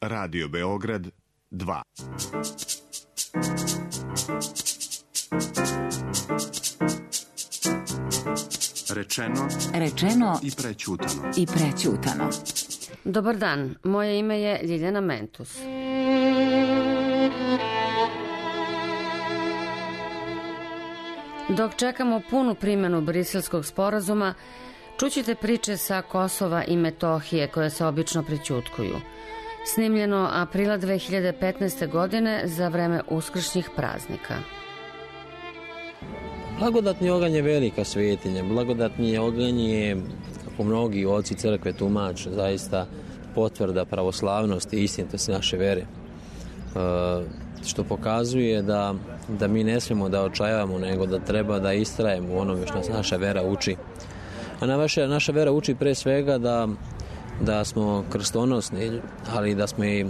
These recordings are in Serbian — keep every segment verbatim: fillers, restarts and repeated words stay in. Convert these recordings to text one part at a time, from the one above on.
Radio Beograd dva. Rečeno, rečeno i prećutano. I prećutano. Dobar dan, moje ime je Ljiljana Mentus. Dok čekamo punu primjenu Briselskog sporazuma, čućete priče sa Kosova i Metohije koje se obično prećutkuju. Snimljeno aprila dve hiljade petnaeste. godine za vreme uskršnjih praznika. Blagodatni oganj je velika svetinja. Blagodatni oganj je, kako mnogi oci crkve tumače, zaista potvrda pravoslavnosti i istinitosti naše vere. E, što pokazuje da, da mi ne smijemo da očajavamo, nego da treba da istrajemo u onome što nas naša vera uči. A naša, naša vera uči pre svega da, da smo krstonosni, ali da smo i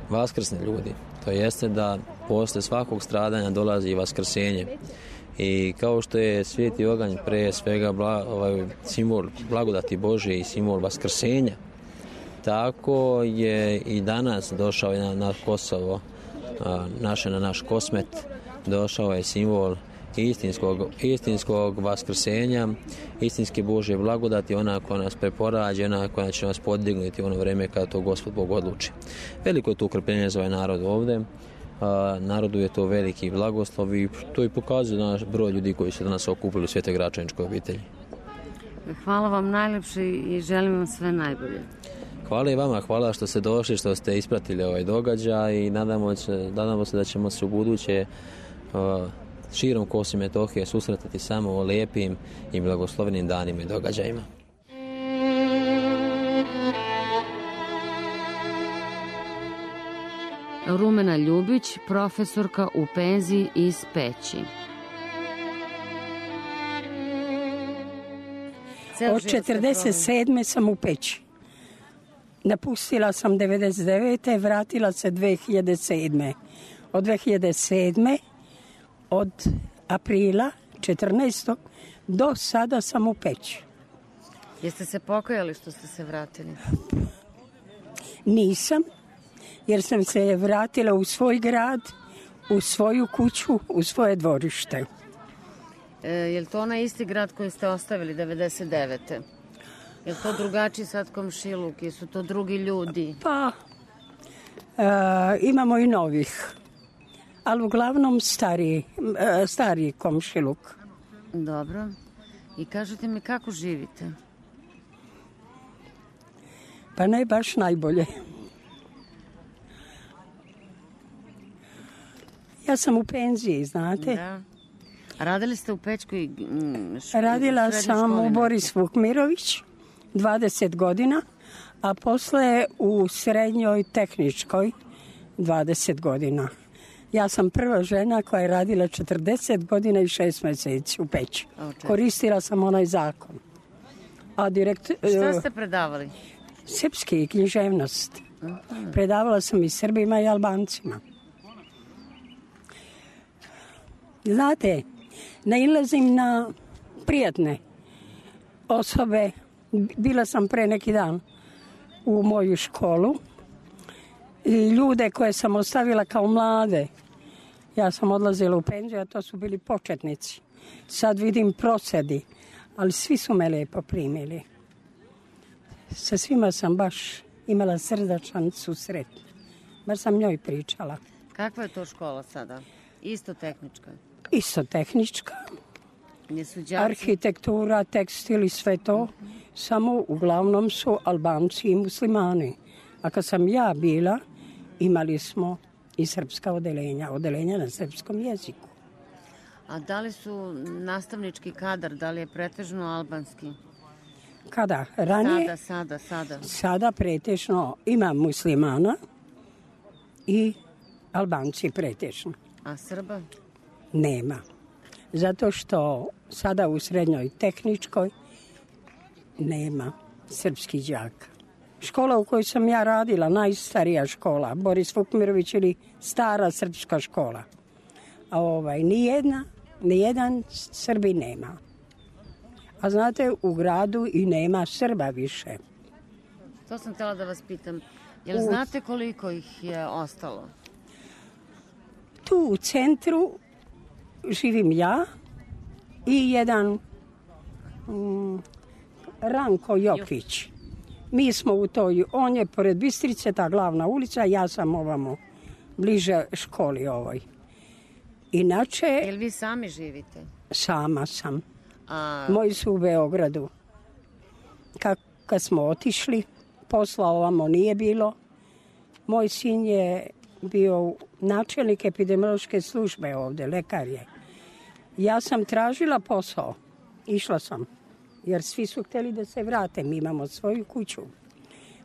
vaskrsni ljudi. To jeste da posle svakog stradanja dolazi i vaskrsenje. I kao što je sveti oganj pre svega bla, ovaj, simbol blagodati Božje i simbol vaskrsenja, tako je i danas došao na, na Kosovo, a, naše na naš Kosmet, došao je simbol istinskog, istinskog vaskrsenja, istinske Božje blagodati, ona koja nas preporađa, ona koja će nas podignuti u ono vreme kada to Gospod Bog odluči. Veliko je to ukrpljenje za ovaj narod ovde. A, narodu je to veliki blagoslov i to i pokazuje naš broj ljudi koji su danas okupili u Svete Gračaničkoj obitelji. Hvala vam najlepše i želim vam sve najbolje. Hvala i vama, hvala što ste došli, što ste ispratili ovaj događaj i nadamo se, nadamo se da ćemo se u buduće a, širom Kosova i Metohije susretati samo o lijepim i blagoslovenim danima i događajima. Rumena Ljubić, profesorka u penziji iz Peći. Od četrdeset sedme sam u Peći. Napustila sam devedeset devete. vratila se dve hiljade sedme. Od dve hiljade sedme. od aprila četrnaestog do sada sam u Peći. Jeste se pokajali što ste se vratili? Nisam, jer sam se vratila u svoj grad, u svoju kuću, u svoje dvorište. E, je li to onaj isti grad koji ste ostavili devedeset devete. Je li to drugačiji sad komšiluk? Jesu to drugi ljudi? Pa, e, imamo i novih, ali uglavnom stariji, e, stariji komšiluk. Dobro. I kažete mi kako živite? Pa ne baš najbolje. Ja sam u penziji, znate. Da. A radili ste u Pećkoj školi? Radila sam u Boris Vukmirović dvadeset godina, a posle u srednjoj tehničkoj dvadeset godina. Ja sam prva žena koja je radila četrdeset godina i šest meseci u Peći. Koristila sam onaj zakon. A direkt, šta ste predavali? Srpski i književnost. Uh-huh. Predavala sam i Srbima i Albancima. Znate, nailazim na prijatne osobe. Bila sam pre neki dan u moju školu. I ljude koje sam ostavila kao mlade. Ja sam odlazila u penziju, a to su bili početnici. Sad vidim prosedi, ali svi su me lepo primili. Sa svima sam baš imala srdačan susret. Bar sam njoj pričala. Kakva je to škola sada? Isto tehnička? Isto tehnička. Jesu đaci? Arhitektura, tekstil i sve to. Uh-huh. Samo uglavnom su Albanci i muslimani. A kad sam ja bila, imali smo i srpska odeljenja, odeljenja na srpskom jeziku. A da li su nastavnički kadar, da li je pretežno albanski? Kada? Ranije? Sada, sada, sada. Sada pretežno ima muslimana i Albanci pretežno. A Srba? Nema. Zato što sada u srednjoj tehničkoj nema srpskih đaka. Škola u kojoj sam ja radila, najstarija škola, Boris Vukmirović ili stara srpska škola. A ovaj, nijedna, nijedan Srbi nema. A znate, u gradu i nema Srba više. To sam htjela da vas pitam. Jel znate koliko ih je ostalo? Tu u centru živim ja i jedan mm, Ranko Jokić. Mi smo u toj, on je pored Bistrice, ta glavna ulica, ja sam ovamo, bliže školi ovoj. Inače... Jel vi sami živite? Sama sam. A... Moji su u Beogradu. Kad, kad smo otišli, posla ovamo nije bilo. Moj sin je bio načelnik epidemiološke službe ovde, lekar je. Ja sam tražila posao, išla sam, jer svi su hteli da se vrate, mi imamo svoju kuću.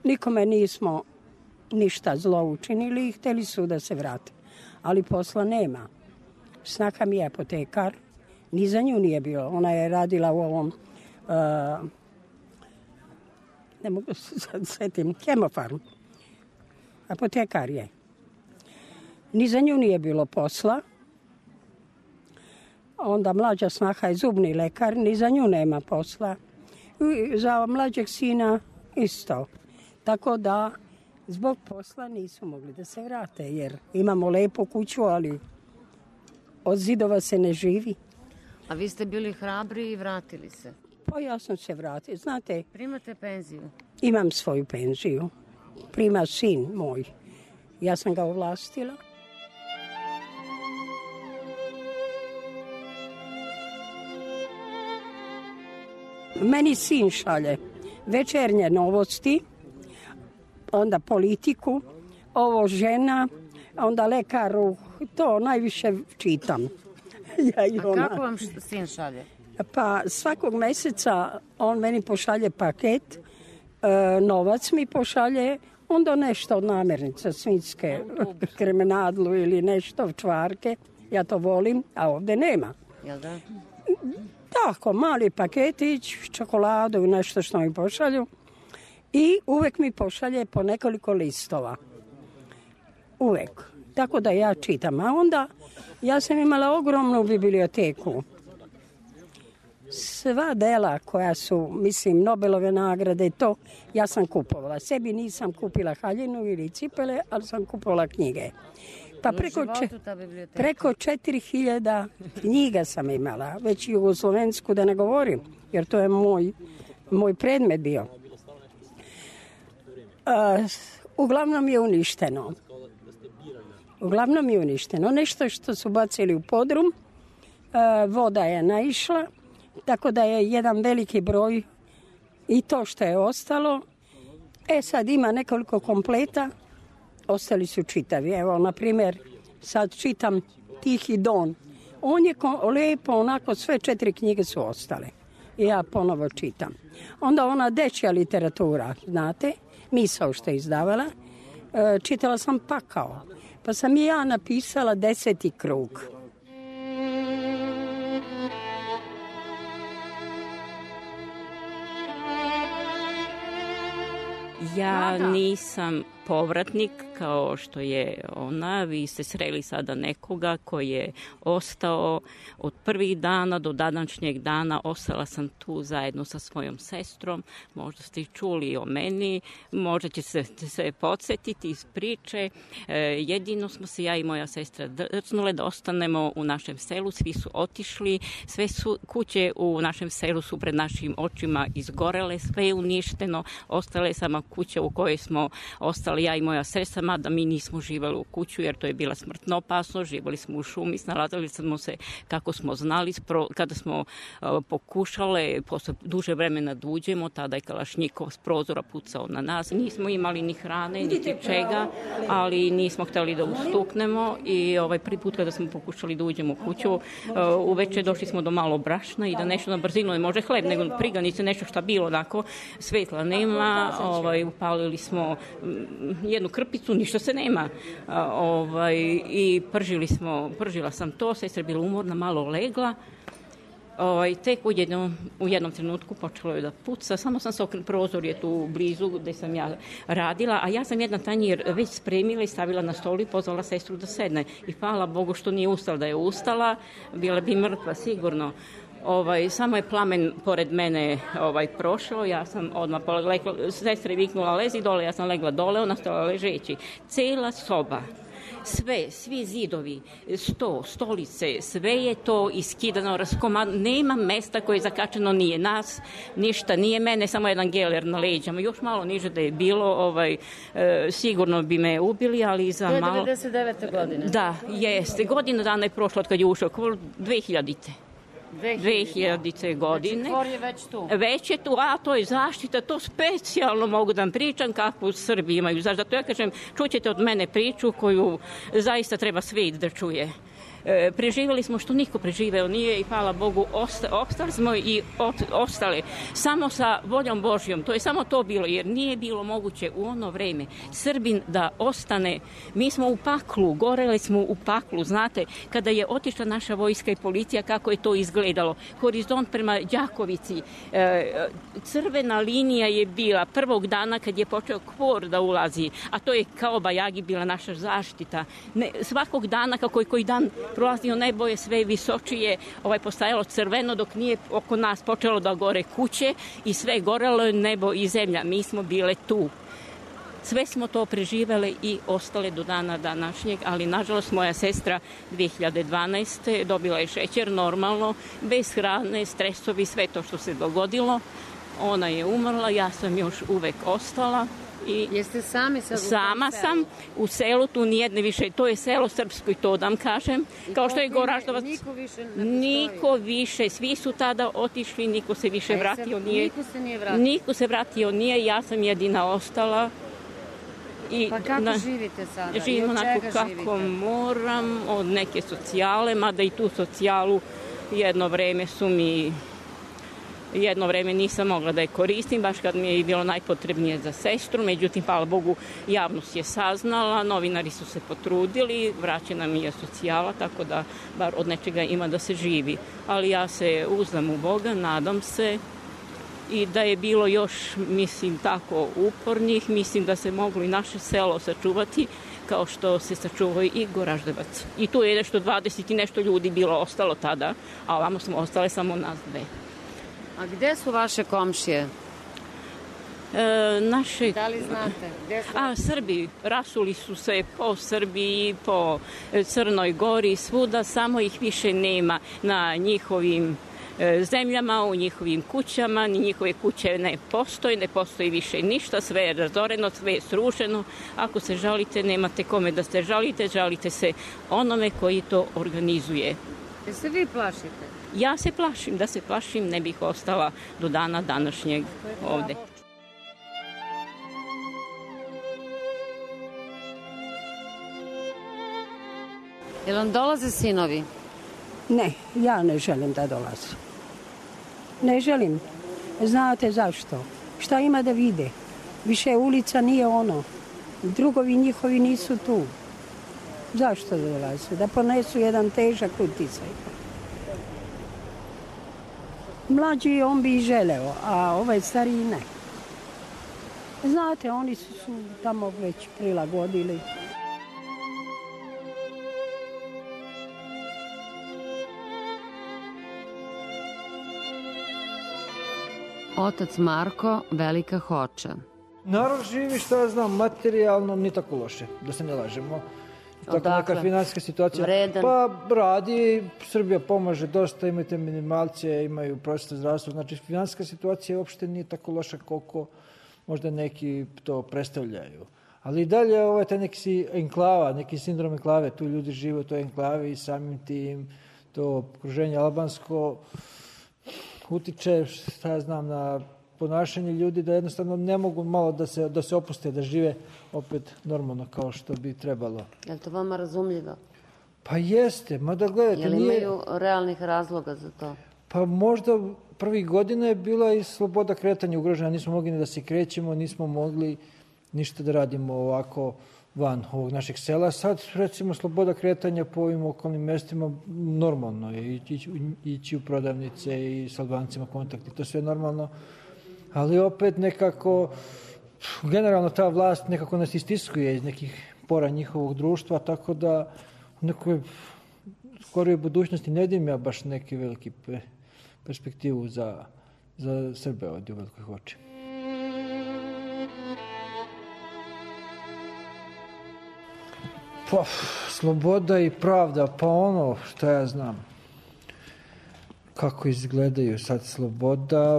Nikome nismo ništa zlo učinili i hteli su da se vrate, ali posla nema. Snaka mi je apotekar, ni za nju nije bilo, ona je radila u ovom, uh, ne mogu se sad setim, Hemofarm, apotekar je. Ni za nju nije bilo posla. Onda mlađa snaha je zubni lekar, ni za nju nema posla. I za mlađeg sina isto. Tako da zbog posla nisu mogli da se vrate, jer imamo lepu kuću, ali od zidova se ne živi. A vi ste bili hrabri i vratili se? Pa ja sam se vratila. Znate, primate penziju? Imam svoju penziju. Prima sin moj. Ja sam ga ovlastila. Meni sin šalje večernje novosti, onda politiku, ovo žena, onda lekaru, to najviše čitam. Ja i ona. A kako vam sin šalje? Pa svakog meseca on meni pošalje paket, e, novac mi pošalje, onda nešto od namirnica, svinjske, kremenadlu ili nešto, čvarke. Ja to volim, a ovde nema. Jel da? Tako, mali paketić, čokoladu i nešto što mi pošalju. I uvek mi pošalje po nekoliko listova. Uvek. Tako da ja čitam. A onda ja sam imala ogromnu biblioteku. Sva dela koja su, mislim, Nobelove nagrade, to ja sam kupovala. Sebi nisam kupila haljinu ili cipele, ali sam kupovala knjige. Pa preko, če, preko četiri hiljada knjiga sam imala, već jugoslovensku da ne govorim, jer to je moj, moj predmet bio. Uh, uglavnom je uništeno. Uglavnom je uništeno. Nešto što su bacili u podrum, uh, voda je naišla, tako da je jedan veliki broj i to što je ostalo. E sad ima nekoliko kompleta, ostali su čitavi. Evo, na primjer, sad čitam Tihi Don. On je ko, lepo, onako, sve četiri knjige su ostale. I ja ponovo čitam. Onda ona dečja literatura, znate, Misao što je izdavala, e, čitala sam Pakao. Pa sam i ja napisala Deseti krug. Ja nisam povratnik kao što je ona. Vi ste sreli sada nekoga koji je ostao od prvih dana do današnjeg dana. Ostala sam tu zajedno sa svojom sestrom. Možda ste i čuli o meni, možda će se sve podsjetiti iz priče. E, jedino smo se ja i moja sestra drznule da ostanemo u našem selu. Svi su otišli, sve su kuće u našem selu su pred našim očima izgorele, sve je uništeno. Ostala je sama kuća u kojoj smo ostali ja i moja sestra, mada mi nismo živeli u kuću jer to je bila smrtno opasno, živeli smo u šumi, snalazili smo se kako smo znali, kada smo uh, pokušale posle duže vremena da uđemo, tada je kalašnjikov s prozora pucao na nas, nismo imali ni hrane, niti čega, ali nismo hteli da ustuknemo i ovaj prvi put kada smo pokušali da uđemo u kuću, uh, uveče došli smo do malo brašna i da nešto na brzinu, ne može hleb, nego priganice, nešto šta bilo, onako, svetla nema, ovaj, upalili smo jednu krpicu, ništa se nema. A, ovaj, I pržili smo, pržila sam to, sestra je bila umorna, malo legla. Ovaj, tek u jednom, u jednom trenutku počelo je da puca, samo sam se okrenula, prozor je tu blizu gde sam ja radila, a ja sam jedan tanjir već spremila i stavila na stolu i pozvala sestru da sedne. I hvala Bogu što nije ustala, da je ustala, bila bi mrtva sigurno. Ovaj, samo je plamen pored mene ovaj, prošao, ja sam odmah legla, sestra je viknula lezi dole, ja sam legla dole, ona stala ležeći. Cela soba, sve, svi zidovi, sto, stolice, sve je to iskidano, raskomadano, nema mesta koje je zakačeno, nije nas, ništa, nije mene, samo jedan geler na leđama, još malo niže da je bilo, ovaj, e, sigurno bi me ubili, ali za malo... To je devedeset devete godine. Da, jeste, godina dana je prošla od kad je ušao, dve hiljadite dve hiljadite godine. Znači, tvor je već tu. Već je tu, a to je zaštita, to specijalno mogu da vam pričam kakvu Srbi imaju. Zato ja kažem, čućete od mene priču koju zaista treba svijet da čuje. E, preživjeli smo što niko preživeo nije i hvala Bogu osta, ostali smo i od, ostale samo sa voljom Božjom, to je samo to bilo jer nije bilo moguće u ono vreme Srbin da ostane, mi smo u paklu, goreli smo u paklu, znate kada je otišla naša vojska i policija kako je to izgledalo, horizont prema Đakovici, e, crvena linija je bila prvog dana kad je počeo Kvor da ulazi, a to je kao Bajagi bila naša zaštita, ne, svakog dana kako je koji dan prolazio nebo je sve visočije, ovaj postajalo crveno dok nije oko nas počelo da gore kuće i sve gorelo je nebo i zemlja. Mi smo bile tu. Sve smo to preživele i ostale do dana današnjeg, ali nažalost moja sestra dve hiljade dvanaeste. dobila je šećer normalno, bez hrane, stresovi, sve to što se dogodilo. Ona je umrla, ja sam još uvek ostala. I jeste sami sad u sama sam u selu, tu nijedne više, to je selo srpsko i to da vam kažem, I kao što je Goraždovac. Niko više ne postoji. Niko više, svi su tada otišli, niko se više vratio nije. Niko se nije vratio. Niko se vratio nije, ja sam jedina ostala. I pa kako na, živite sada? Živim onako kako živite? Moram, od neke socijale, mada i tu socijalu jedno vreme su mi... Jedno vreme nisam mogla da je koristim, baš kad mi je bilo najpotrebnije za sestru, međutim, hvala Bogu, javnost je saznala, novinari su se potrudili, vraćena mi je socijala, tako da bar od nečega ima da se živi. Ali ja se uzdam u Boga, nadam se i da je bilo još, mislim, tako upornih, mislim da se moglo i naše selo sačuvati, kao što se sačuvao i Goraždevac. I tu je nešto dvadeset i nešto ljudi bilo ostalo tada, a ovamo smo ostale samo nas dve. A gde su vaše komšije? E, naše... Da li znate? Gde su... A, Srbi. Rasuli su se po Srbiji, po Crnoj Gori, svuda, samo ih više nema na njihovim e, zemljama, u njihovim kućama, ni njihove kuće ne postoje, ne postoji više ništa, sve je razoreno, sve je srušeno. Ako se žalite, nemate kome da se žalite, žalite se onome koji to organizuje. Jel se vi plašite? Ja se plašim, da se plašim, ne bih ostala do dana današnjeg ovde. Jel vam dolaze sinovi? Ne, ja ne želim da dolaze. Ne želim. Znate zašto? Šta ima da vide? Više ulica nije ono. Drugovi njihovi nisu tu. Zašto da dolaze? Da ponesu jedan težak uticaj. Mlađi on bi i želeo, a ovaj stariji ne. Znate, oni su, su tamo već prilagodili. Otac Marko, Velika Hoča. Narod živi, što ja znam, materijalno ni tako loše, da se ne lažemo. Tako Odakle? Neka finansijska situacija. Vredan. Pa radi, Srbija pomaže dosta, imaju te minimalcije, imaju prosječne zdravstvo. Znači, finansijska situacija uopšte nije tako loša koliko možda neki to predstavljaju. Ali i dalje ovo je taj neki enklava, neki sindrom enklave. Tu ljudi žive u toj enklavi i samim tim to okruženje albansko utiče, šta ja znam, na ponašanje ljudi da jednostavno ne mogu malo da se, da se opuste, da žive opet normalno kao što bi trebalo. Je li to vama razumljivo? Pa jeste, mada gledajte... Je li nije... imaju realnih razloga za to? Pa možda prvih godina je bila i sloboda kretanja ugrožena, nismo mogli ni da se krećemo, nismo mogli ništa da radimo ovako van ovog našeg sela. Sad, recimo, sloboda kretanja po ovim okolnim mestima normalno je ići, ići u prodavnice i s Albancima kontakti, to sve normalno. Ali opet nekako, generalno ta vlast nekako nas istiskuje iz nekih pora njihovog društva, tako da u nekoj skorijoj budućnosti ne vidim ja baš neki veliki perspektivu za, za Srbe ovdje u Velikoj Hoči. Pa, sloboda i pravda, pa ono što ja znam. Kako izgledaju sad sloboda,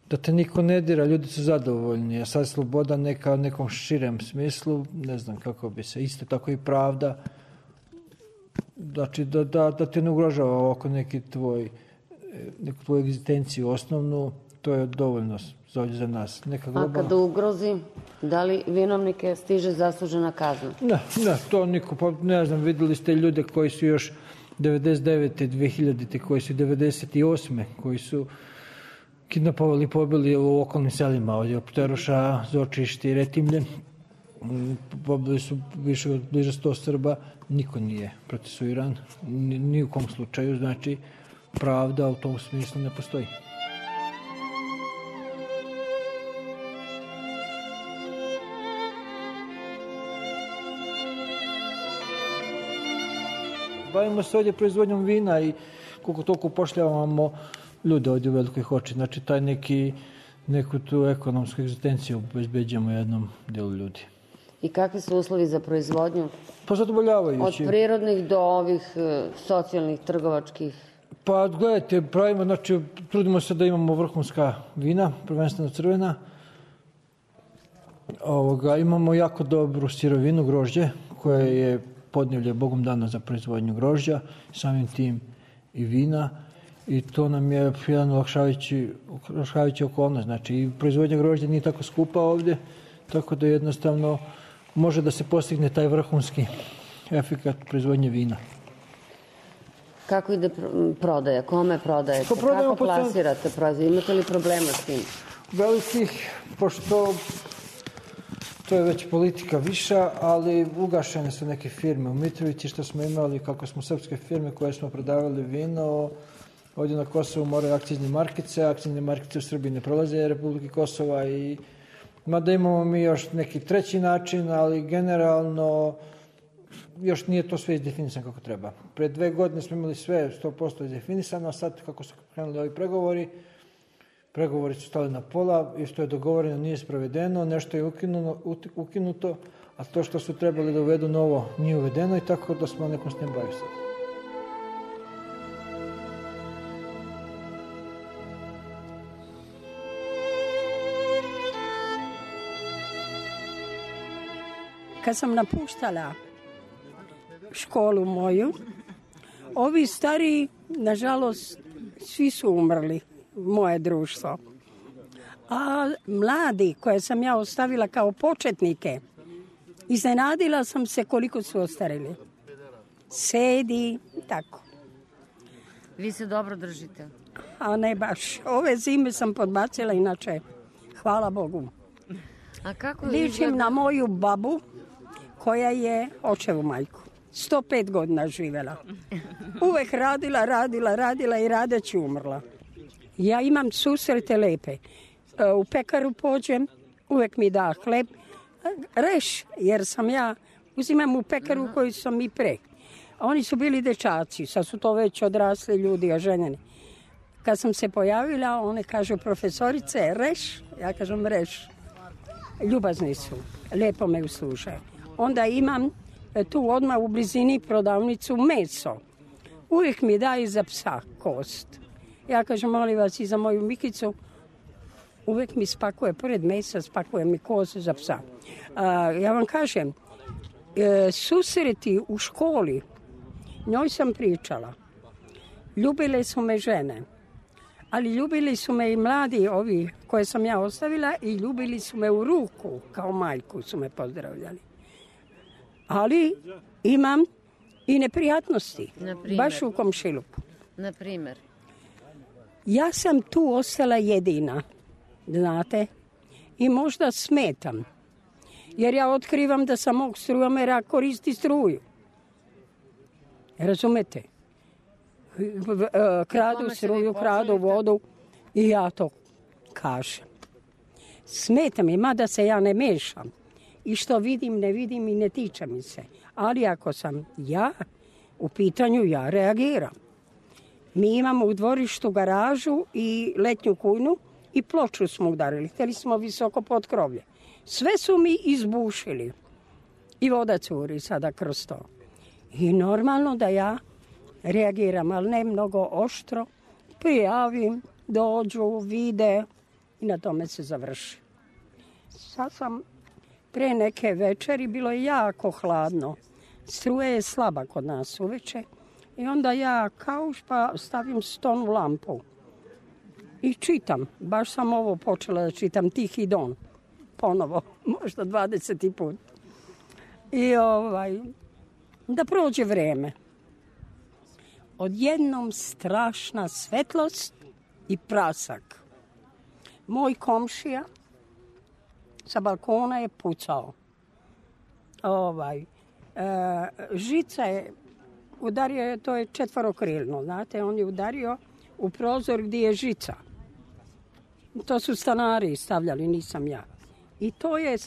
da te niko ne dira, ljudi su zadovoljni, a sad sloboda neka u nekom širem smislu, ne znam kako bi se, isto tako i pravda, znači da, da, da te ne ugrožava ovako neki tvoj, neku tvoju egzistenciju osnovnu, to je dovoljno za, za nas. Neka globalna... A kada ugrozi, da li vinovnike stiže zaslužena kazna? Ne, ne, to niko, pa ne znam, vidjeli ste ljude koji su još devedeset devete. dve hiljadite. koji su devedeset osme. koji su kidnapovali i pobili u okolnim selima ovdje od Pteroša, Zočište i Retimlje. Pobili su više od bliže sto Srba, niko nije procesuiran, ni, ni u kom slučaju, znači pravda u tom smislu ne postoji. Bavimo se ovdje proizvodnjom vina i koliko toliko upošljavamo ljude ovdje u Velikoj Hoči. Znači taj neki, neku tu ekonomsku egzistenciju obezbeđujemo jednom dijelu ljudi. I kakvi su uslovi za proizvodnju? Pa zadovoljavajući. Od prirodnih do ovih socijalnih, trgovačkih? Pa gledajte, pravimo, znači trudimo se da imamo vrhunska vina, prvenstveno crvena. Ovoga, imamo jako dobru sirovinu, grožđe, koje je podnevlje Bogom dano za proizvodnju grožđa, samim tim i vina. I to nam je jedan olakšavajući, olakšavajući okolnost. Znači, i proizvodnja grožđa nije tako skupa ovdje, tako da jednostavno može da se postigne taj vrhunski efekat proizvodnje vina. Kako ide prodaja? Kome prodajete? Pa kako plasirate proizvod? Imate li problema s tim? Velikih, pošto to je već politika viša, ali ugašene su neke firme u Mitrovici što smo imali, kako smo srpske firme koje smo prodavali vino. Ovdje na Kosovu moraju akcizne markice, akcizne markice u Srbiji ne prolaze Republike Kosova i mada imamo mi još neki treći način, ali generalno još nije to sve izdefinisano kako treba. Pre dve godine smo imali sve sto posto izdefinisano, a sad kako su krenuli ovi pregovori, pregovori su stali na pola i što je dogovoreno nije sprovedeno, nešto je ukinuto, ukinuto, a to što su trebali da uvedu novo nije uvedeno i tako da smo nekom stand-by sad. Kad sam napuštala školu moju, ovi stari, nažalost, svi su umrli, moje društvo. A mladi koje sam ja ostavila kao početnike, iznenadila sam se koliko su ostarili. Sedi, tako. Vi se dobro držite? A ne baš. Ove zime sam podbacila, inače, hvala Bogu. A kako Ličim izgleda... na moju babu koja je očevu majku. sto pet godina živjela. Uvek radila, radila, radila i radeći umrla. Ja imam susrete lepe. U pekaru pođem, uvek mi da hleb. Reš, jer sam ja, uzimam u pekaru koju sam i pre. A oni su bili dečaci, sad su to već odrasli ljudi, oženjeni. Kad sam se pojavila, one kažu profesorice, reš, ja kažem reš. Ljubazni su, lepo me uslušaju. Onda imam tu odmah u blizini prodavnicu meso. Uvijek mi daju za psa kost. Ja kažem, molim vas, i za moju Mikicu, uvijek mi spakuje, pored mesa, spakuje mi kost za psa. A, ja vam kažem, e, susreti u školi, njoj sam pričala. Ljubile su me žene, ali ljubili su me i mladi ovi koje sam ja ostavila i ljubili su me u ruku, kao majku su me pozdravljali. Ali imam i neprijatnosti, baš u komšiluku. Na primjer? Ja sam tu ostala jedina, znate, i možda smetam. Jer ja otkrivam da sam mog strujomera koristi struju. Razumete? Kradu struju, kradu vodu i ja to kažem. Smeta mi, mada se ja ne mešam. I što vidim, ne vidim i ne tiče mi se. Ali ako sam ja u pitanju, ja reagiram. Mi imamo u dvorištu garažu i letnju kujnu i ploču smo udarili. Htjeli smo visoko pod krovlje. Sve su mi izbušili. I voda curi sada kroz to. I normalno da ja reagiram, ali ne mnogo oštro. Prijavim, dođu, vide i na tome se završi. Sad sam pre neke večeri, bilo je jako hladno. Struja je slaba kod nas uveče. I onda ja kauš pa stavim stonu lampu. I čitam. Baš sam ovo počela da čitam, Tihi don. Ponovo, možda dvadeseti put. I ovaj, da prođe vreme. Odjednom strašna svetlost i prasak. Moj komšija sa balkona je pucao. Ovaj, e, žica je, udario je, to je četvorokrilno, znate, on je udario u prozor gdje je žica. To su stanari stavljali, nisam ja. I to je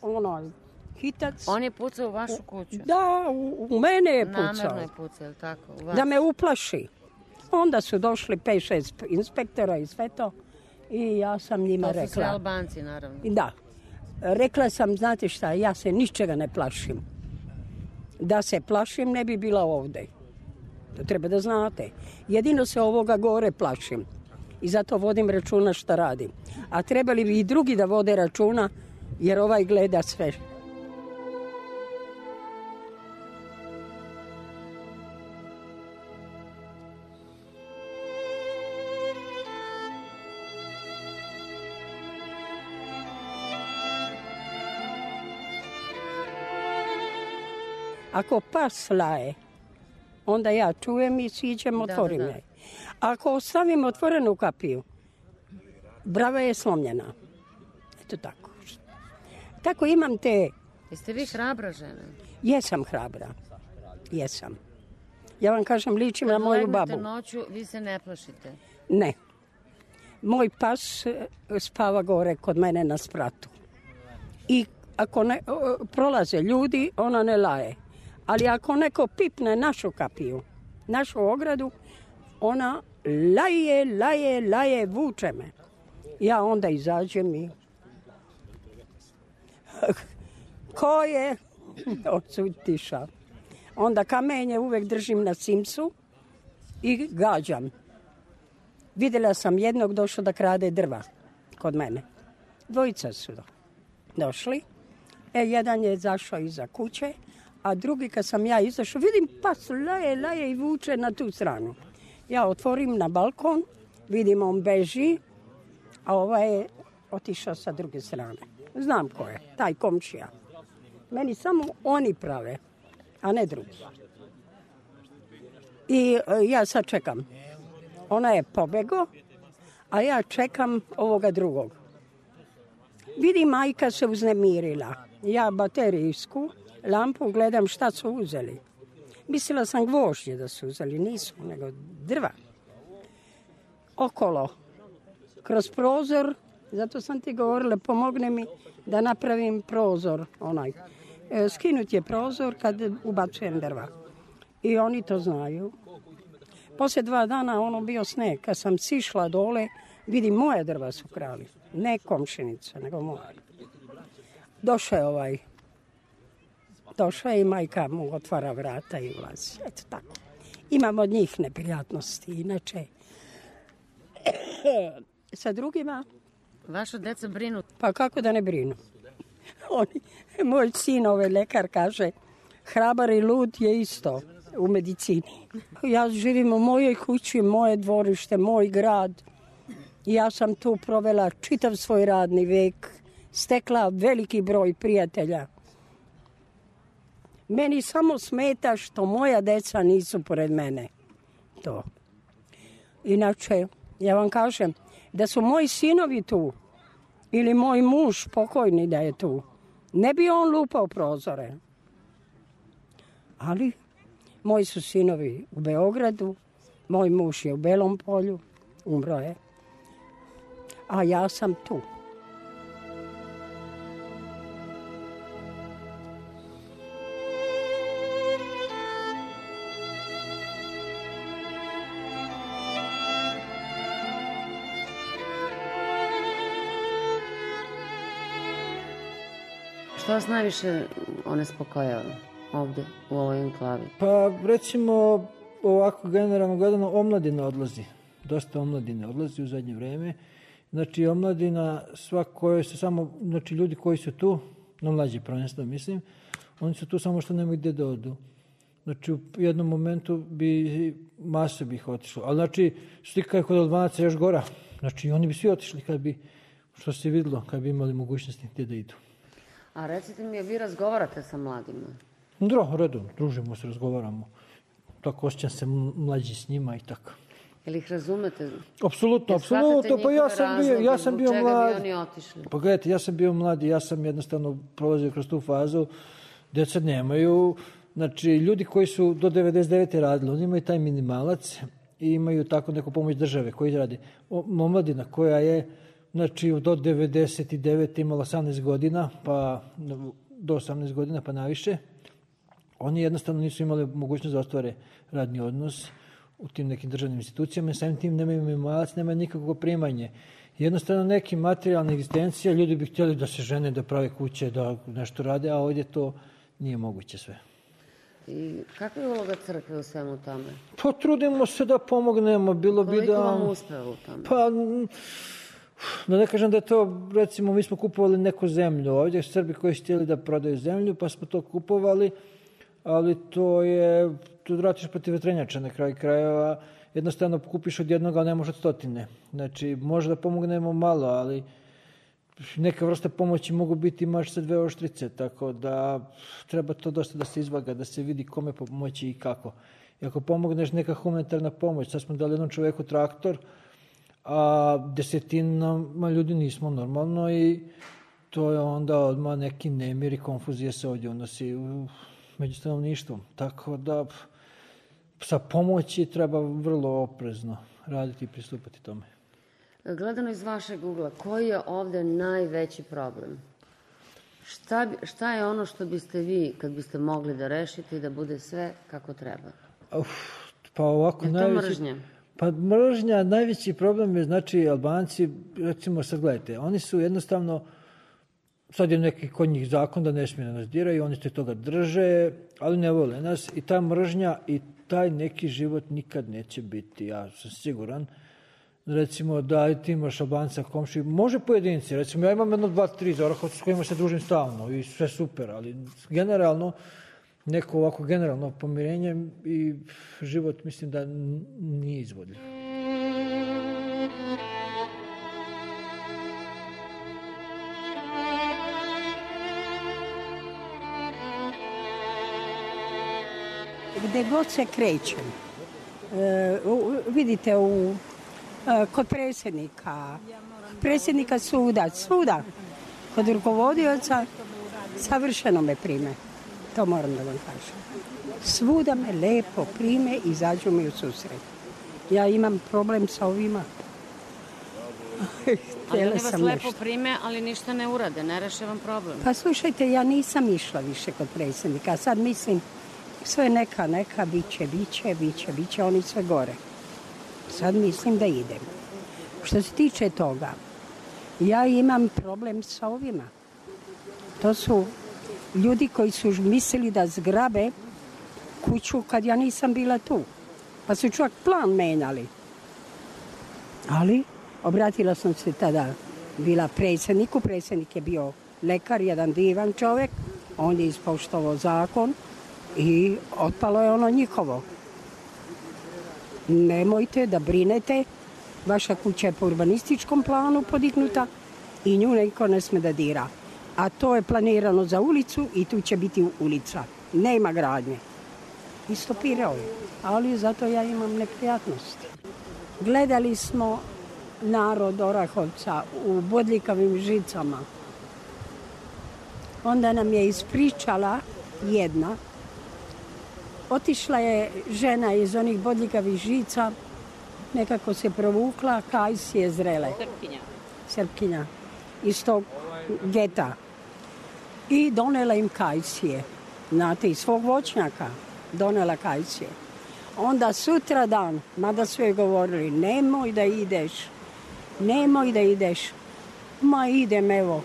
ono, hitac. On je pucao u vašu kuću? Da, u, u mene je pucao. Namerno je pucao, ili tako? U vas? Da me uplaši. Onda su došli pet šest inspektora i sve to. I ja sam njima rekla. To su sve Albanci, naravno. Da. Rekla sam, znate šta, ja se ničega ne plašim. Da se plašim, ne bi bila ovdje. To treba da znate. Jedino se ovoga gore plašim. I zato vodim računa šta radim. A trebali bi i drugi da vode računa, jer ovaj gleda sve. Ako pas laje, onda ja čujem i siđem, otvorim je. Ako ostavim otvorenu kapiju, brava je slomljena. Eto tako. Tako imam te... Jeste vi hrabra žena? Jesam hrabra. Jesam. Ja vam kažem, ličim na moju babu. Kad noću, vi se ne plašite? Ne. Moj pas spava gore kod mene na spratu. I ako ne, prolaze ljudi, ona ne laje. Ali ako neko pipne našu kapiju, našu ogradu, ona laje, laje, laje, vuče me. Ja onda izađem i... Ko je? Odsud tiša. Onda kamenje uvek držim na simsu i gađam. Vidjela sam jednog došao da krade drva kod mene. Dvojica su došli. E, jedan je zašao iza kuće, a drugi kad sam ja izašao, vidim pas laje, laje i vuče na tu stranu. Ja otvorim na balkon, vidim on beži, a ovaj je otišao sa druge strane. Znam ko je, taj komšija. Meni samo oni prave, a ne drugi. I e, ja sad čekam. Ona je pobego, a ja čekam ovoga drugog. Vidim, majka se uznemirila. Ja baterijsku lampu gledam šta su uzeli. Mislila sam gvožđe da su uzeli, nisu, nego drva. Okolo, kroz prozor, zato sam ti govorila, pomogne mi da napravim prozor, onaj. E, skinut je prozor kad ubacujem drva. I oni to znaju. Poslije dva dana ono bio sneg. Kad sam sišla dole, vidim moje drva su krali. Ne komšinica, nego moje. Došao je ovaj. Došao je i majka mu otvara vrata i ulazi. Eto tako. Imam od njih neprijatnosti. Inače, sa drugima... Vaša deca brinu? Pa kako da ne brinu? Oni, moj sin, ovaj lekar, kaže, hrabar i lud je isto u medicini. Ja živim u mojoj kući, moje dvorište, moj grad. Ja sam tu provela čitav svoj radni vek, stekla veliki broj prijatelja. Meni samo smeta što moja deca nisu pored mene. To. Inače, ja vam kažem, da su moji sinovi tu, ili moj muž pokojni da je tu, ne bi on lupao prozore. Ali moji su sinovi u Beogradu, moj muž je u Belom Polju, umro je, a ja sam tu. Što vas najviše onespokojava ovde, u ovoj enklavi? Pa, recimo, ovako generalno gledano, omladina odlazi. Dosta omladine odlazi u zadnje vreme. Znači, omladina, sva koja se samo, znači, ljudi koji su tu, no mlađi prvenstveno mislim, oni su tu samo što nemaju gde da odu. Znači, u jednom momentu bi masa bi ih otišlo. Ali, znači, slika je kod Albanaca još gora. Znači, oni bi svi otišli kad bi, što se videlo, kad bi imali mogućnosti gde da idu. A recite mi, vi razgovarate sa mladima? Dro, redom, družimo se, razgovaramo. Tako osjećam se mlađi s njima i tako. Jel ih razumete? Apsolutno, apsolutno. Pa ja sam bio, ja sam bio mlad. Bi oni otišli? Pa gledajte, ja sam bio mlad i ja sam jednostavno prolazio kroz tu fazu. Deca nemaju, znači ljudi koji su do devedeset devete radili, oni imaju taj minimalac i imaju tako neku pomoć države koji radi. Omladina koja je, znači do devedeset devete imala osamnaest godina, pa do osamnaest godina pa naviše, oni jednostavno nisu imali mogućnost da ostvare radni odnos u tim nekim državnim institucijama i samim tim nemaju minimalac, nemaju nikakvo primanje. Jednostavno neki materijalna egzistencija, ljudi bi htjeli da se žene, da prave kuće, da nešto rade, a ovdje to nije moguće sve. I kakva je uloga crkve u svemu tome? Pa trudimo se da pomognemo, bilo bi da... Koliko vam uspeva u tome? Pa, da ne kažem da je to, recimo, mi smo kupovali neku zemlju ovdje, Srbi koji su htjeli da prodaju zemlju, pa smo to kupovali, ali to je, tu vratiš protiv vetrenjača na kraju krajeva, jednostavno kupiš od jednog, ali ne može od stotine. Znači, može da pomognemo malo, ali neka vrsta pomoći mogu biti mač sa dve oštrice, tako da treba to dosta da se izvaga, da se vidi kome pomoći i kako. I ako pomogneš neka humanitarna pomoć, sad smo dali jednom čoveku traktor, a desetinama ljudi nismo normalno i to je onda odmah neki nemir i konfuzija se ovdje unosi među stanovništvom. Tako da sa pomoći treba vrlo oprezno raditi i pristupati tome. Gledano iz vašeg ugla, koji je ovde najveći problem? Šta, šta je ono što biste vi, kad biste mogli da rešite i da bude sve kako treba? Uf, pa ovako, je to najveći, mržnja? Pa mržnja, najveći problem je, znači, Albanci, recimo sad gledajte, oni su jednostavno, sad je neki kod njih zakon da ne smije da nas diraju, oni se toga drže, ali ne vole nas i ta mržnja i taj neki život nikad neće biti, ja sam siguran. Recimo da ti imaš Albanca komši, može pojedinci, recimo ja imam jedno, dva, tri za Orahovac s kojima se družim stalno i sve super, ali generalno, neko ovako generalno pomirenje i život mislim da nije izvodljiv. Gde god se krećem, e, vidite u kod predsjednika, predsjednika suda, svuda, kod rukovodioca, savršeno me prime. To moram da vam kažem. Svuda me lepo prime i izađu mi u susret. Ja imam problem sa ovima. Ali oni vas lepo prime, ali ništa ne urade, ne reše vam problem. Pa slušajte, ja nisam išla više kod predsjednika. Sad mislim, sve neka, neka, biće, biće, biće, biće, oni sve gore. Sad mislim da idem. Što se tiče toga, ja imam problem sa ovima. To su ljudi koji su mislili da zgrabe kuću kad ja nisam bila tu. Pa su čak plan menjali. Ali obratila sam se tada, bila predsjedniku. Predsjednik je bio lekar, jedan divan čovjek. On je ispoštovao zakon i otpalo je ono njihovo. Nemojte da brinete, vaša kuća je po urbanističkom planu podignuta i nju neko ne sme da dira. A to je planirano za ulicu i tu će biti ulica. Nema gradnje. I stopirao je. Ali zato ja imam neprijatnosti. Gledali smo narod Orahovca u bodljikavim žicama. Onda nam je ispričala jedna. Otišla je žena iz onih bodljikavih žica, nekako se provukla, kajsije zrele. Srpkinja. Srpkinja. Iz tog geta. I donela im kajsije. Znate, iz svog voćnjaka donela kajsije. Onda sutra dan, mada su joj govorili, nemoj da ideš, nemoj da ideš. Ma idem, evo.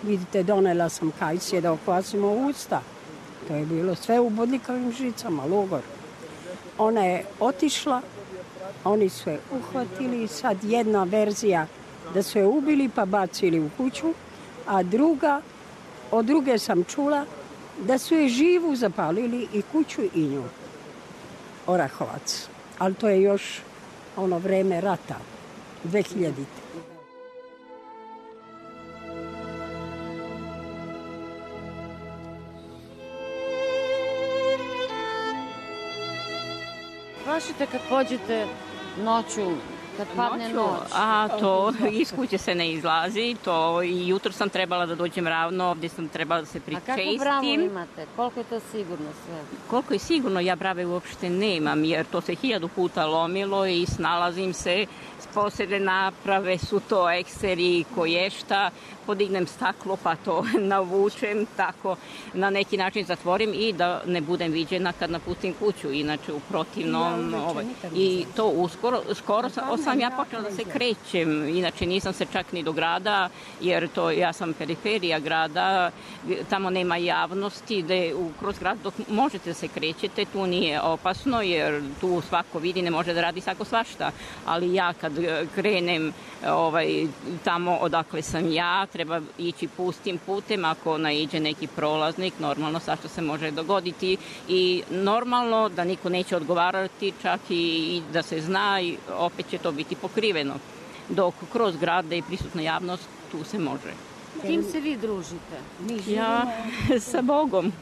Vidite, donela sam kajsije da okvasimo usta. To je bilo sve u bodljikavim žicama, logor. Ona je otišla, oni su je uhvatili, sad jedna verzija da su je ubili pa bacili u kuću, a druga, od druge sam čula da su je živu zapalili i kuću i nju. Orahovac. Ali to je još ono vreme rata, dvehiljadite. Plašite kad pođete noću, kad padne Noću, noć? A to iz kuće se ne izlazi, to i jutro sam trebala da dođem ravno, ovdje sam trebala da se pričestim. A kako bravo imate? Koliko je to sigurno sve? Koliko je sigurno, ja brave uopšte nemam, jer to se hiljadu puta lomilo i snalazim se, posebne naprave su to ekseri, koješta, podignem staklo pa to navučem, tako na neki način zatvorim i da ne budem viđena kad napustim kuću, inače u protivnom. Ovaj, I to uskoro, skoro sam, sam ja počela da se krećem, inače nisam se čak ni do grada, jer to ja sam periferija grada, tamo nema javnosti, gde u, kroz grad dok možete da se krećete, tu nije opasno, jer tu svako vidi, ne može da radi svako svašta, ali ja kad krenem ovaj, tamo odakle sam ja, treba ići pustim putem, ako naiđe neki prolaznik, normalno svašta se može dogoditi i normalno da niko neće odgovarati, čak i, i da se zna i opet će to biti pokriveno. Dok kroz grad i prisutna javnost, tu se može. Kim se vi družite? Ja sa Bogom.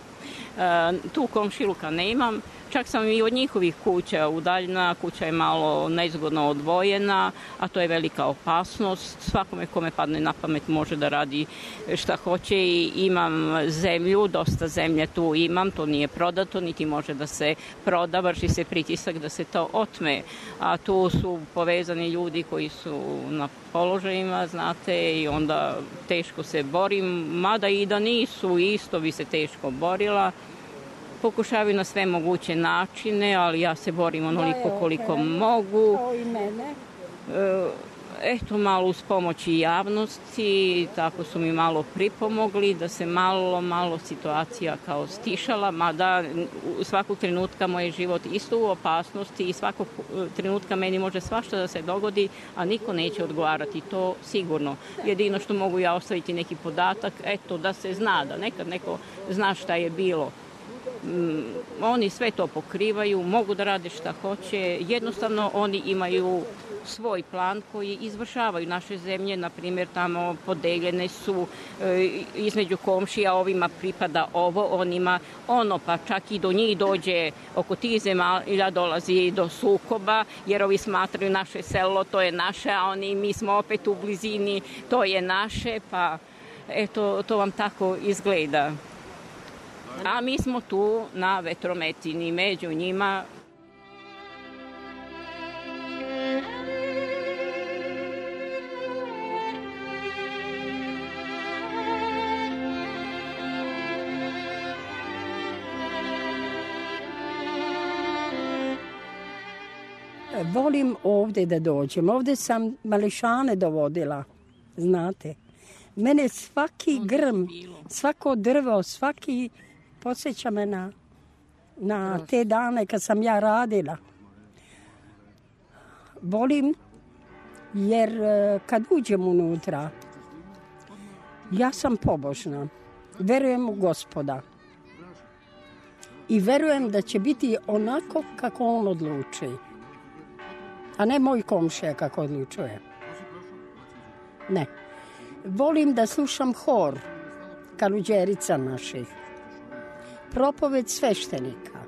Tu komšiluka nemam, čak sam i od njihovih kuća udaljena, kuća je malo nezgodno odvojena, a to je velika opasnost. Svakome kome padne na pamet može da radi šta hoće i imam zemlju, dosta zemlje tu imam, to nije prodato, niti može da se proda, vrši se pritisak da se to otme. A tu su povezani ljudi koji su na položajima, znate, i onda teško se borim, mada i da nisu, isto bi se teško borila. Pokušavaju na sve moguće načine, ali ja se borim onoliko koliko mogu. Kao i mene. Eto, malo uz pomoći javnosti, tako su mi malo pripomogli da se malo, malo situacija kao stišala, mada svakog trenutka moj život isto u opasnosti i svakog trenutka meni može svašta da se dogodi, a niko neće odgovarati, to sigurno. Jedino što mogu ja ostaviti neki podatak, eto, da se zna, da nekad neko zna šta je bilo. Mm, oni sve to pokrivaju, mogu da rade šta hoće, jednostavno oni imaju svoj plan koji izvršavaju. Naše zemlje, na primjer, tamo podeljene su e, između komšija, ovima pripada ovo, onima ono, pa čak i do njih dođe, oko tih zemalja dolazi do sukoba, jer ovi smatraju naše selo, to je naše, a oni, mi smo opet u blizini, to je naše, pa eto, to vam tako izgleda. A mi smo tu na vetrometini, među njima. Volim ovdje da dođem. Ovdje sam mališane dovodila, znate. Mene svaki grm, svako drvo, svaki podsjeća me na, na te dane kad sam ja radila. Volim jer kad uđem unutra, ja sam pobožna. Verujem u Gospoda. I verujem da će biti onako kako on odluči. A ne moj komšija kako odlučuje. Ne. Volim da slušam hor kaluđerica naših, propoved sveštenika,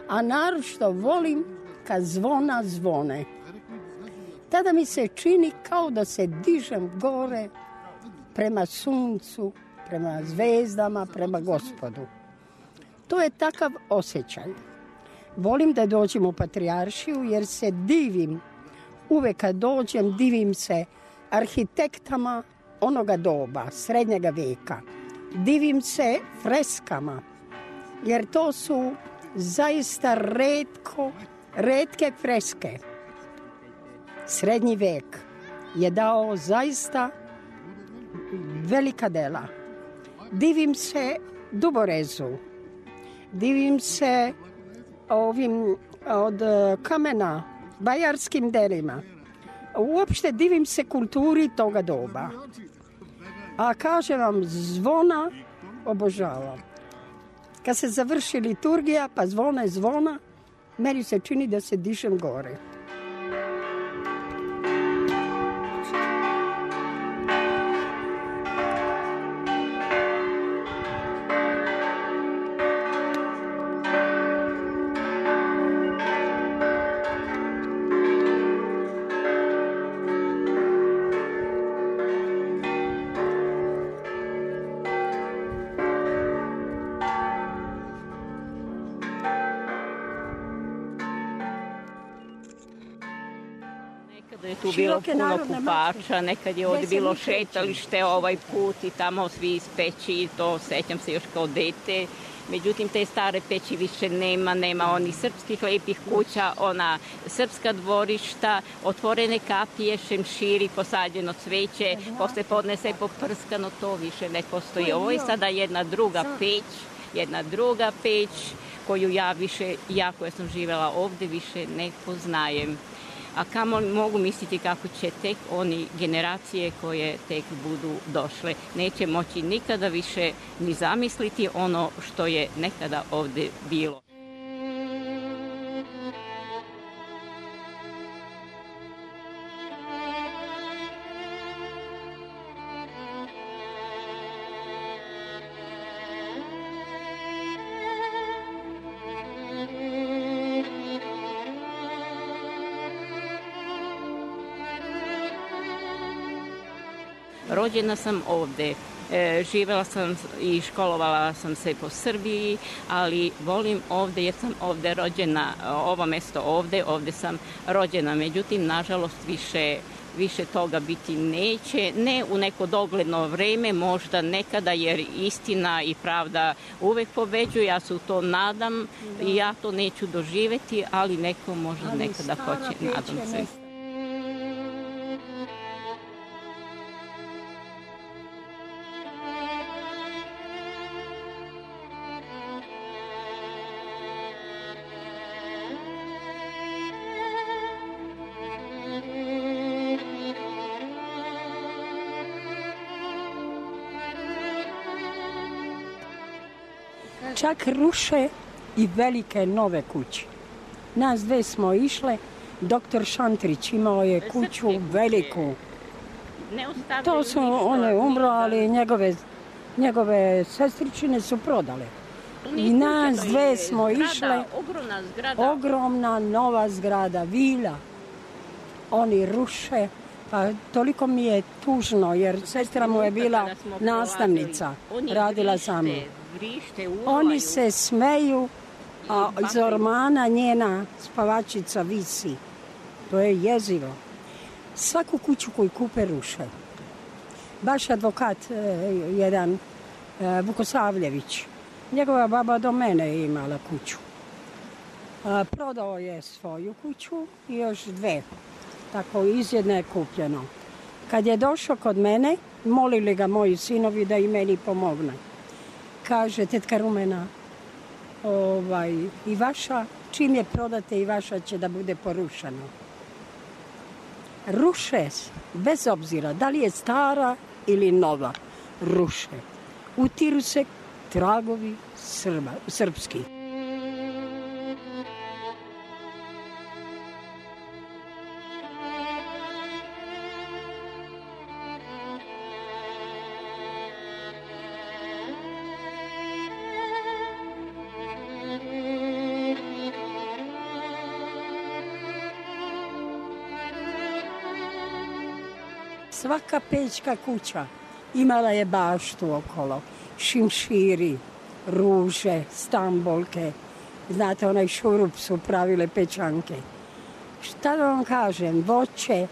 a naročito volim kad zvona zvone. Tada mi se čini kao da se dižem gore prema suncu, prema zvezdama, prema Gospodu. To je takav osjećaj. Volim da dođem u Patrijaršiju jer se divim, uvek kad dođem divim se arhitektama onoga doba, srednjega veka. Divim se freskama, jer to su zaista retko, retke freske. Srednji vek je dao zaista velika dela. Divim se duborezu, divim se ovim od kamena, bajarskim delima. Uopšte divim se kulturi toga doba. A kažem vam, zvona obožavam. Kad se završi liturgija, pa zvona je zvona, meni se čini da se dišem gore. Je tu bilo puno kupača, nekad je ovdje bilo šetalište ovaj put i tamo svi iz peći, to sećam se još kao dete. Međutim, te stare peći više nema, nema onih srpskih lepih kuća, ona srpska dvorišta, otvorene kapije, šemširi, posađeno cveće, posle podne se poprskano, to više ne postoji. Ovo je sada jedna druga peć, jedna druga peć koju ja više, ja koja sam živela ovdje, više ne poznajem. A kamo mogu misliti kako će tek oni generacije koje tek budu došle. Neće moći nikada više ni zamisliti ono što je nekada ovdje bilo. Rođena sam ovdje, e, živjela sam i školovala sam se po Srbiji, ali volim ovdje jer sam ovdje rođena, ovo mesto ovdje, ovdje sam rođena. Međutim, nažalost, više, više toga biti neće, ne u neko dogledno vreme, možda nekada, jer istina i pravda uvek pobeđuju, ja se u to nadam i ja to neću doživjeti, ali neko možda nekada hoće, nadam se. Čak ruše i velike nove kuće. Nas dve smo išle, doktor Šantrić imao je kuću veliku. To su one umro, ali njegove, njegove sestričine su prodale. I nas dve smo išle, ogromna nova zgrada, vila. Oni ruše, pa toliko mi je tužno, jer sestra mu je bila nastavnica, radila sa mnom. Oni se smeju, a iz ormana njena spavačica visi. To je jezivo. Svaku kuću koju kupe ruše. Baš advokat, jedan Vukosavljević, njegova baba do mene je imala kuću. Prodao je svoju kuću i još dve. Tako iz jedne je kupljeno. Kad je došao kod mene, molili ga moji sinovi da i meni pomogne. Kaže, tetka Rumena, ovaj, i vaša, čim je prodate i vaša će da bude porušeno. Ruše, bez obzira da li je stara ili nova, ruše. Utiru se tragovi Srba, srpski. Svaka pećka kuća imala je baštu okolo, šimširi, ruže, stambolke. Znate, onaj šurup su pravile pećanke. Šta da vam kažem, voće.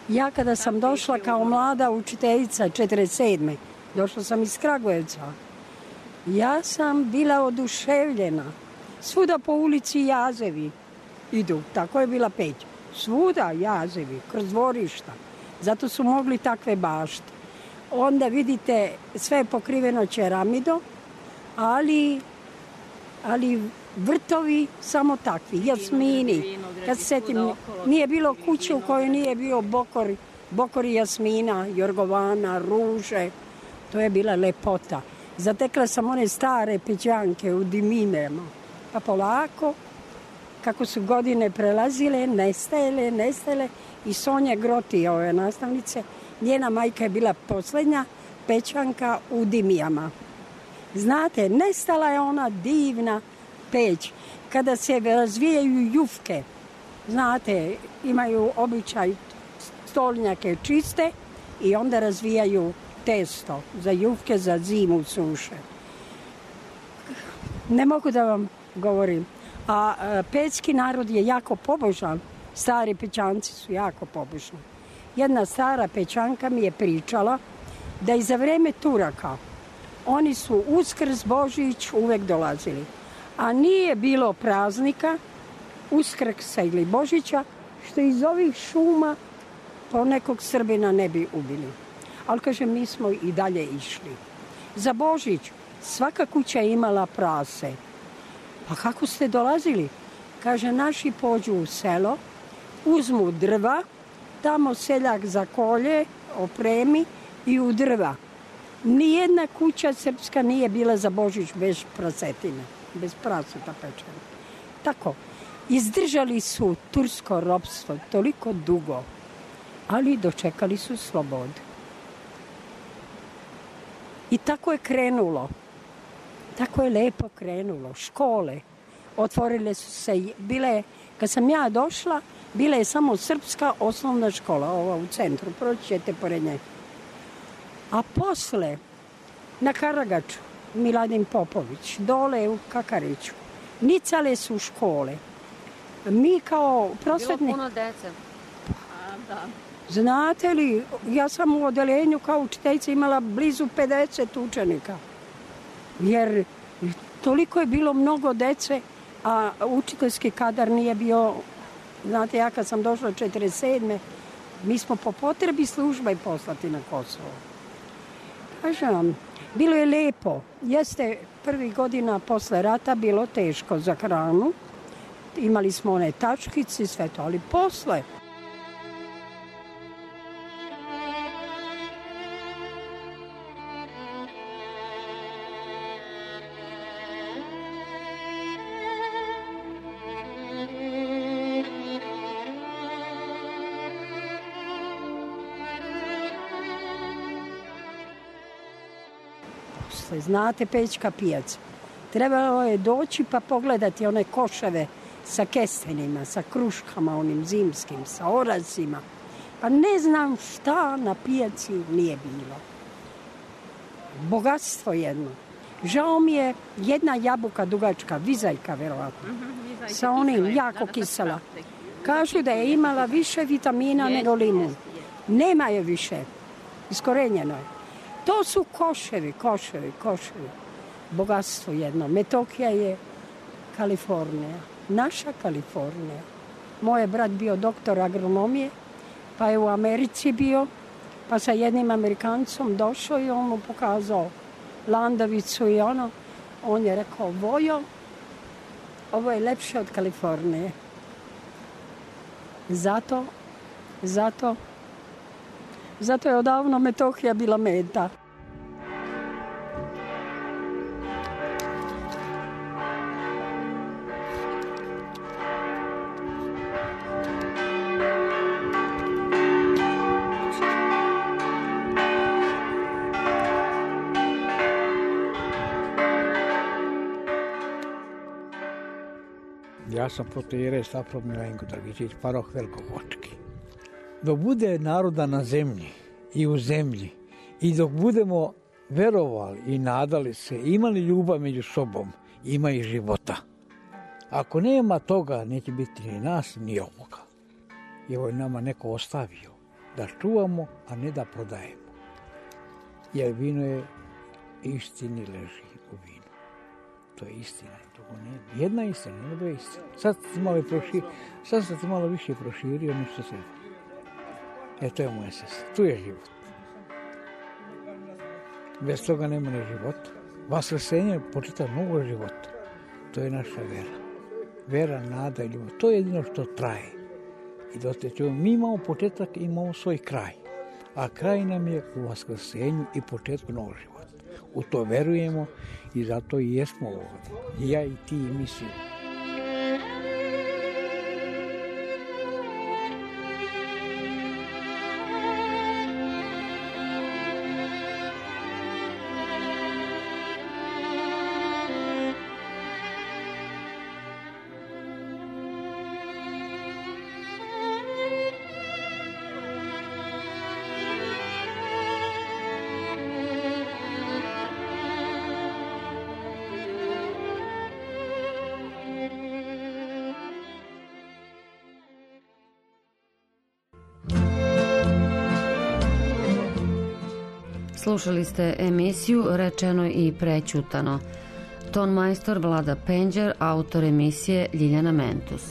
Ja kada sam došla kao mlada učiteljica četrdeset sedme. došla sam iz Kragujevca. Ja sam bila oduševljena. Svuda po ulici jazevi idu, tako je bila peć. Svuda jazevi, kroz dvorišta. Zato su mogli takve bašte. onda vidite sve je pokriveno ceramidom, ali, ali vrtovi samo takvi, jasmini. Kad se setim, nije bilo kuće u kojoj nije bio bokor, bokori jasmina, jorgovana, ruže. To je bila lepota. Zatekla sam one stare pećanke u diminama. Pa polako, kako su godine prelazile, nestajele, nestajele. I Sonja Groti, ove nastavnice, njena majka je bila posljednja pećanka u dimijama. Znate, nestala je ona divna peć. Kada se razvijaju jufke, znate, imaju običaj stolnjake čiste i onda razvijaju testo za jufke za zimu suše. Ne mogu da vam govorim. A pećki narod je jako pobožan. Stari pećanci su jako pobožni. Jedna stara pećanka mi je pričala da i za vreme Turaka oni su Uskrs, Božić uvek dolazili. A nije bilo praznika, Uskrsa ili Božića, što iz ovih šuma po nekog Srbina ne bi ubili. Ali, kaže, mi smo i dalje išli. Za Božić svaka kuća je imala prase. Pa kako ste dolazili? Kaže, naši pođu u selo, uzmu drva, tamo seljak zakolje, opremi i u drva. Nijedna kuća srpska nije bila za Božić bez prasetine, bez prasuta pečena. Tako, izdržali su tursko ropstvo toliko dugo, ali dočekali su slobodu. I tako je krenulo. Tako je lepo krenulo. Škole otvorile su se, bile, kad sam ja došla, bila je samo srpska osnovna škola, ova u centru, proći ćete pored nje. A posle, na Karagaču, Miladin Popović, dole u Kakariću, nicale su škole. Mi kao prosvetni... Bilo puno dece. A, da. Znate li, ja sam u odeljenju kao učiteljica imala blizu pedeset učenika. Jer toliko je bilo mnogo dece, a učiteljski kadar nije bio... Znate, ja kad sam došla četrdeset sedme mi smo po potrebi služba i poslati na Kosovo. Kažem vam, bilo je lepo. Jeste prvih godina posle rata bilo teško za hranu. Imali smo one tačkice i sve to, ali posle... Znate, Pećka pijaca. Trebalo je doći pa pogledati one koševe sa kestenima, sa kruškama onim zimskim, sa oracima. Pa ne znam šta na pijaci nije bilo. Bogatstvo jedno. Žao mi je jedna jabuka dugačka, vizajka verovatno, mm-hmm, sa onim jako kisela. Kažu da je imala više vitamina nego limun. Nema je više. Iskorenjeno je. To su koševi, koševi, koševi. Bogatstvo jedno. Metohija je Kalifornija. Naša Kalifornija. Moj je brat bio doktor agronomije, pa je u Americi bio, pa sa jednim Amerikancom došao i on mu pokazao landavicu i ono. On je rekao, Vojo, ovo je lepše od Kalifornije. Zato, zato, zato je odavno Metohija bila meta. Ja sam protoijerej Stafro Milenko Dragičić, paroh Velikogočki. Dok bude naroda na zemlji i u zemlji i dok budemo verovali i nadali se, imali ljubav među sobom, ima i života. Ako nema toga, neće biti ni nas, ni ovoga. I ovo je nama neko ostavio da čuvamo, a ne da prodajemo. Jer vino je, istini leži u vinu. To je istina. Ne, jedna istina, ne dve istina. Sad se malo proširi, sad se malo više proširio nešto sve. E, to je moja sestra. Tu je život. Bez toga nema ni života. Vaskrsenje počita mnogo života. To je naša vera. Vera, nada i ljubav. To je jedino što traje. I dotećemo. Mi imamo početak i imamo svoj kraj. A kraj nam je u vaskrsenju i početku novog života. U to verujemo i zato i jesmo ovdje. I ja i ti i mi svi. Slušali ste emisiju Rečeno i prećutano. Ton majstor Vlada Penđer, autor emisije Ljiljana Mentus.